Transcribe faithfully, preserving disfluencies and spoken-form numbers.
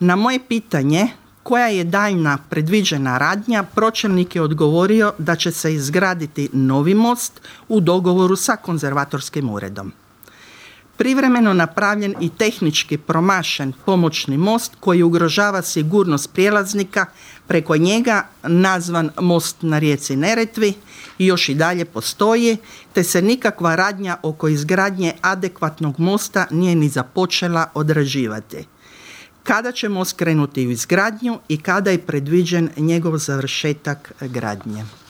Na moje pitanje koja je daljna predviđena radnja, pročelnik je odgovorio da će se izgraditi novi most u dogovoru sa konzervatorskim uredom. Privremeno napravljen i tehnički promašen pomoćni most koji ugrožava sigurnost prijelaznika preko njega, nazvan most na rijeci Neretvi, i još i dalje postoji, te se nikakva radnja oko izgradnje adekvatnog mosta nije ni započela odrađivati. Kada će most krenuti u izgradnju i kada je predviđen njegov završetak gradnje?